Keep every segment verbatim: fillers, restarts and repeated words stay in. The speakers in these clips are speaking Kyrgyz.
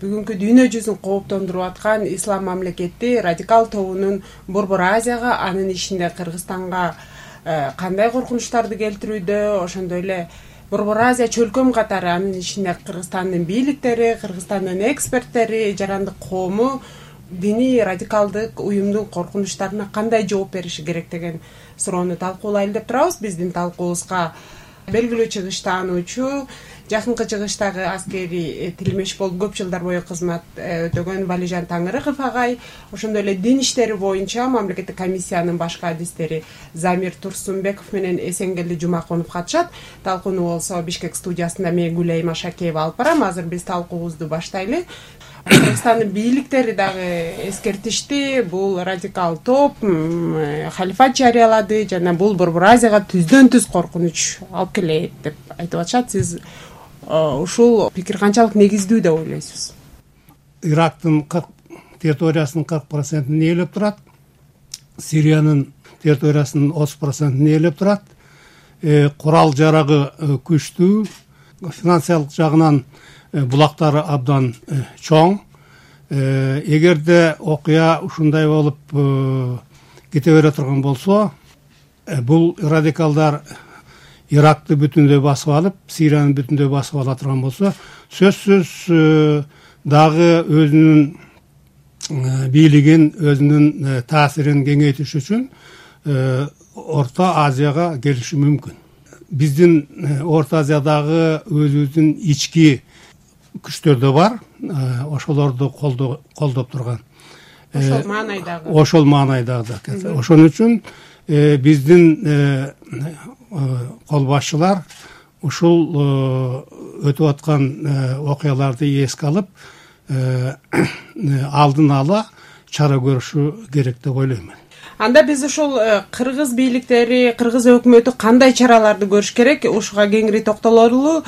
бүгүнкү дүйнө жүзүн кооптондуруп аткан ислам мамлекети радикал тобунун Борбор Азияга, анын ичинде Кыргызстанга кандай коркунучтарды келтирүүдө, ошондой эле Борбор Азия чөлкөм катары анын ичинде Кыргызстандын бийликтери, Кыргызстандын эксперттери, жарандык коому диний радикалдык уюмдун коркунучтарына кандай жооп бериши керек деген суроону талкуулайлы деп турабыз. Биздин талкуубузга белгилүү чыгыш таануучу, жакынкы чыгыштагы аскерий тилмеш болуп көп жылдар бою кызмат өтөгөн Балижан Таңырыков агай, ошондой эле дин иштери боюнча мамлекеттик комиссиянын башкы адистери Замир Турсунбеков менен Эсенгелди Жумаконов катышат. Талкууну болсо Бишкек студиясында мен Гүлайым Ашакеева алып барам. Азыр биз талкуубузду баштайлы. Кыргызстандын бийликтери дагы эскертишти. Бул радикал топ халифат жарыялады жана бул Борбор Азияга түздөн түз коркунуч алып келет деп айтып атышат. Сиз ушул пикир канчалык негиздүү деп ойлойсуз? Ирактын территориясынын кырк процентин ээлеп турат. Сириянын территориясынын отуз процентин ээлеп турат. Курал жарагы күчтүү, финансылык жагынан булактары абдан чоң. Эгерде окуя ушундай болуп кете бере турган болсо, бул радикалдар Иракты бүтүндөй басып алып, Сирияны бүтүндөй басып ала турган болсо, сөзсүз дагы өзүнүн бийлигин, өзүнүн таасирин кеңейтиш үчүн Орто Азияга келиши мүмкүн. Биздин Орто Азиядагы өзүбүздүн ички күчтөр да бар, ошолорду колдоп турган. Ошол маанайдагы. Ошол маанайдагы. Ошон үчүн биздин кол башчылар ушул өтүп аткан окуяларды эске алып, алдын ала чара көрүшү керек деп ойлойм. Анда биз ушул кыргыз бийликтери, кыргыз өкмөтү кандай чараларды көрүш керек? Ушуга кеңири токтололу.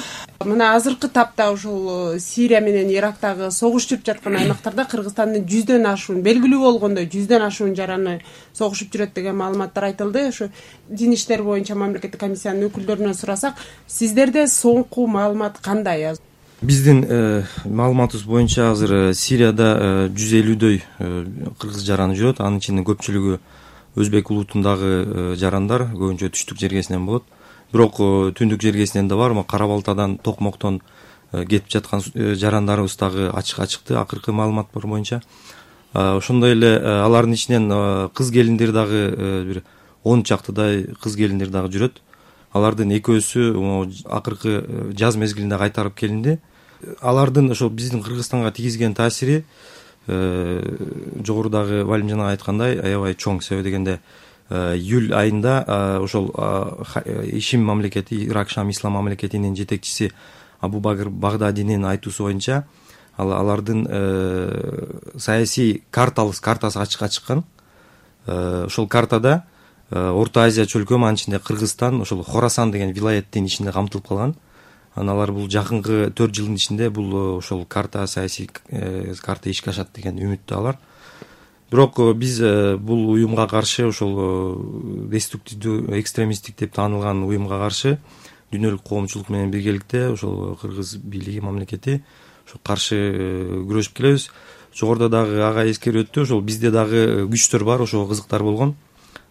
Мына азыркы тапта ушул Сирия менен Ирактагы согуш жүрүп жаткан аймактарда Кыргызстандын жүздөн ашуун, белгилүү болгондой жүздөн ашуун жараны согушуп жүрөт деген маалыматтар айтылды. Ушу дин иштери боюнча мамлекеттик комиссиянын өкүлдөрүнөн сурасак, сиздерде соңку маалымат кандай? Биздин маалыматыбыз боюнча азыр Сирияда жүз элүүдөй кыргыз жараны жүрөт. Анын ичинде көпчүлүгү өзбек улутундагы жарандар, көбүнчө түштүк жергесинен болот. Бирок түндүк жергесинен да бар, Кара Балтадан, Токмоктон кетип жаткан жарандарыбыз дагы ачыкка чыкты акыркы маалыматтар боюнча. Ошондой эле алардын ичинен кыз келиндер дагы бир он чактыдай кыз келиндер дагы жүрөт. Алардын экөөсү акыркы жаз мезгилинде кайтарып келинди. Алардын ошол биздин Кыргызстанга тийгизген таасири жогорудагы Валимжан айткандай аябай чоң. Себеби дегенде июль айында ошол Ишим мамлекети, Ирак Шам ислам мамлекетинин жетекчиси Абу Бакр Багдадинин айтуусу боюнча алардын саясий картасы картасы ачыкка чыккан. Ошол картада Орто Азия чөлкөмү, анын ичинде Кыргызстан, ошол Хорасан деген вилаяттын ичинде камтылып калган. Аналар бул жакынкы төрт жылдын ичинде бул ошол карта, саясий карта ишке ашат деген үмүттө алар. Бирок биз бул уюмга каршы, ошол деструктивдүү экстремисттик деп таанылган уюмга каршы дүйнөлүк коомчулук менен биргеликте ошол кыргыз бийлиги, мамлекети ошо каршы күрөшүп келебиз. Жогоруда дагы ага эскерип өттү, ошол бизде дагы күчтөр бар, ошого кызыктар болгон.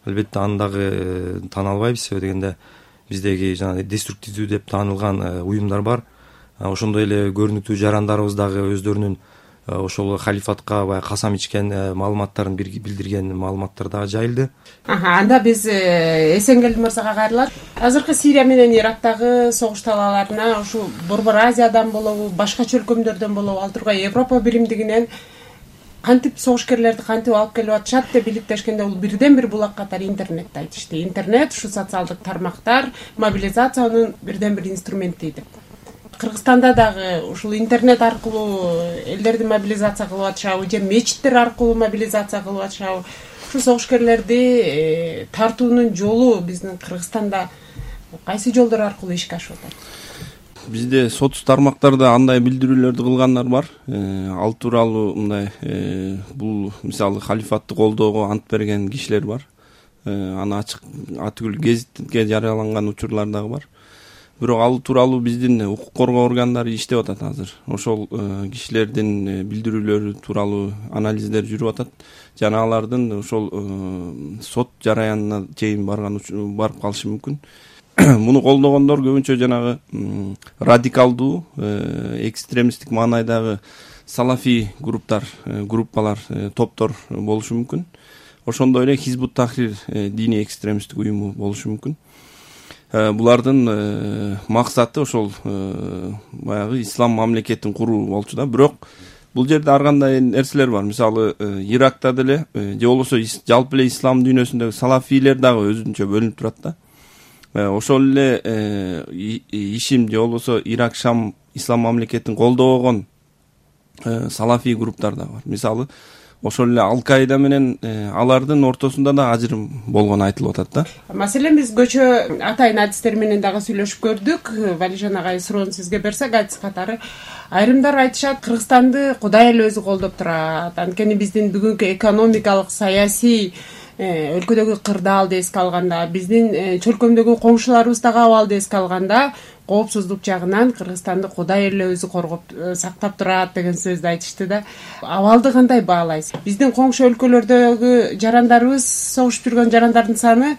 Албетте аны дагы таана албайбыз, себеби дегенде биздеги жана деструктивдүү деп таанылган уюмдар бар. Ошондой эле көрүнүктүү жарандарыбыз дагы өздөрүнүн ошол халифатка баягы касам ичкен маалыматтарын билдирген маалыматтар дагы жайылды. Аха, анда биз Эсенгелди мырзага кайрылат. Азыркы Сирия менен Ирактагы согуш талааларына ушу Борбор Азиядан болобу, башка чөлкөмдөрдөн болобу, ал тургай Европа биримдигинен кантип согушкерлерди кантип алып келип атышат деп иликтешкенде, бул бирден бир булак катары интернетти айтышты. Интернет, ушу социалдык тармактар мобилизациянын бирден бир инструменти деп. Кыргызстанда дагы ушул интернет аркылуу элдерди мобилизация кылып атышабы же мечиттер аркылуу мобилизация кылып атышабы? Ушу согушкерлерди тартуунун жолу биздин Кыргызстанда кайсы жолдор аркылуу ишке ашып атат? Бизде соц тармактарда андай билдирүүлөрдү кылгандар бар. Ал тууралуу мындай бул мисалы халифатты колдоого ант берген кишилер бар. Аны ачык атүгүл гезитке жарыяланган учурлар дагы бар. бирок ал тууралуу биздин укук коргоо органдары иштеп атат азыр. Ошол кишилердин билдирүүлөрү тууралуу анализдер жүрүп атат жана алардын ошол сот жараянына чейин барган барып калышы мүмкүн. Муну колдогондор көбүнчө жанагы радикалдуу экстремисттик маанайдагы салафи групптар, группалар, топтор болушу мүмкүн. Ошондой эле Хизбут Тахрир диний экстремисттик уюму болушу мүмкүн. Булардын максаты ошол баягы ислам мамлекетин куруу болчу да. Бирок бул жерде ар кандай нерселер бар. Мисалы Иракта деле же болбосо жалпы эле ислам дүйнөсүндөгү салафилер дагы өзүнчө бөлүнүп турат да. Ошол эле ишим же болбосо Ирак Шам ислам мамлекетин колдогон салафи групптар да бар. Мисалы ошол эле Ал-Каида менен алардын ортосунда да ажырым болгону айтылып атат да. Маселен биз көчө атайын адистер менен дагы сүйлөшүп көрдүк. Валижан агай, суроону сизге берсек, адис катары айрымдар айтышат, Кыргызстанды Кудай эле өзү колдоп турат. Анткени биздин бүгүнкү экономикалык, саясий өлкөдөгү кырдаалды эске алганда, биздин чөлкөмдөгү коңшуларыбыздагы абалды эске алганда, коопсуздук жагынан Кыргызстанды Кудай эле өзү коргоп сактап турат деген сөздү айтышты да. Абалды кандай баалайсыз? Биздин коңшу өлкөлөрдөгү жарандарыбыз, согушуп жүргөн жарандардын саны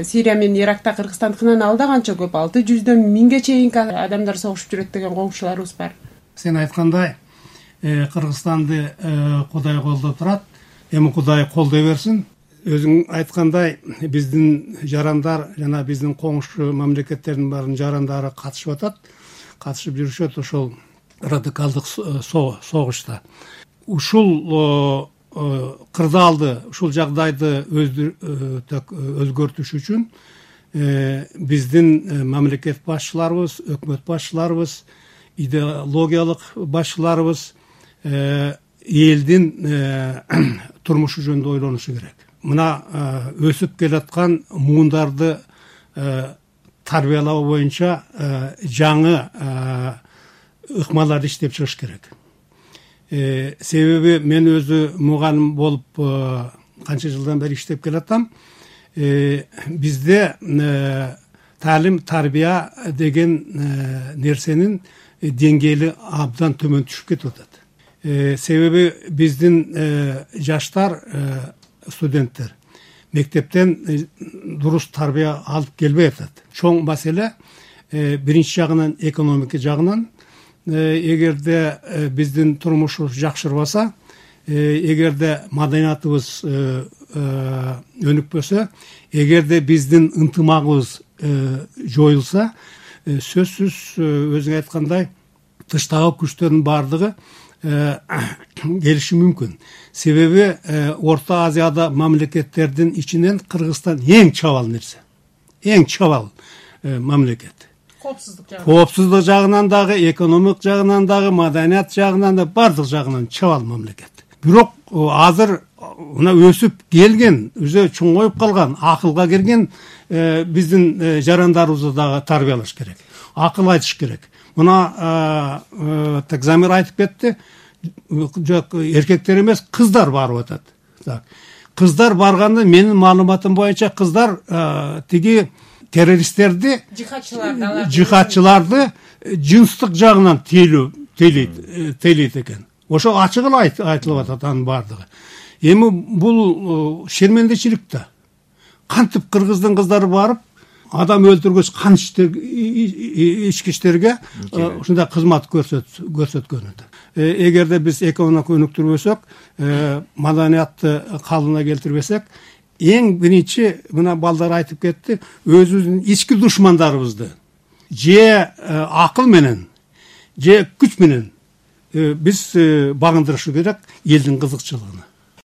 Сирия менен Иракта Кыргызстандыкынан алда канча көп? алты жүздөн миңге чейинки адамдар согушуп жүрөт деген коңшуларыбыз бар. Сен айткандай, Кыргызстанды Кудай колдоп турат. Эми Кудай колдой берсин. Өзүң айткандай, биздин жарандар жана биздин коңшу мамлекеттердин баарын жарандары катышып атат, катышып жүрүшөт ошол радикалдык согушта. Ушул кырдаалды, ушул жагдайды өзгөртүш үчүн биздин мамлекет башчыларыбыз, өкмөт башчыларыбыз, идеологиялык башчыларыбыз элдин турмушу жөнүндө ойлонушу керек. Мына өсүп келаткан муундарды тарбиялоо боюнча жаңы ыкмаларды иштеп чыгыш керек. Себеби мен өзү мугалим болуп канча жылдан бери иштеп келатам. Бизде таалим, тарбия деген нерсенин деңгээли абдан төмөн түшүп кетип атат. Себеби биздин жаштар, студенттер мектептен дурус тарбия алып келбей атат. Чоң маселе биринчи жагынан экономика жагынан, эгерде биздин турмушубуз жакшырбаса, эгерде маданиятыбыз өнүкпөсө, эгерде биздин ынтымагыбыз жоюлса, сөзсүз өзүң айткандай тыштагы күчтөрдүн баардыгы келиши мүмкүн. Себеби Орто Азияда мамлекеттердин ичинен Кыргызстан эң чабал нерсе. Эң чабал мамлекет. Коопсуздук жагынан. Коопсуздук жагынан дагы, экономик жагынан дагы, маданият жагынан да бардык жагынан чабал мамлекет. Бирок азыр мына өсүп келген, өзү чоңоюп калган, акылга кирген биздин жарандарыбызды дагы тарбиялаш керек. Акыл айтыш керек. Мына Такзамир айтып кетти, жок, эркектер эмес, кыздар барып атат. Кыздар барганда менин маалыматым боюнча кыздар тиги террористтерди, жихадчыларды, жихадчыларды жынстык жагынан тейлөө, тейлейт, тейлейт экен. Ошо ачык эле айтылып атат анын бардыгы. Эми бул шермендечилик да. Кантип кыргыздын кыздары барып адам өлтүргөч кан ички иштерге ушундай кызмат көрсөткөнү. Эгерде биз экономика өнүктүрбөсөк, маданиятты калыбына келтирбесек, эң биринчи мына балдар айтып кетти, өзүбүздүн ички душмандарыбызды же акыл менен, же күч менен биз багындырышы керек элдин кызыкчылыгына.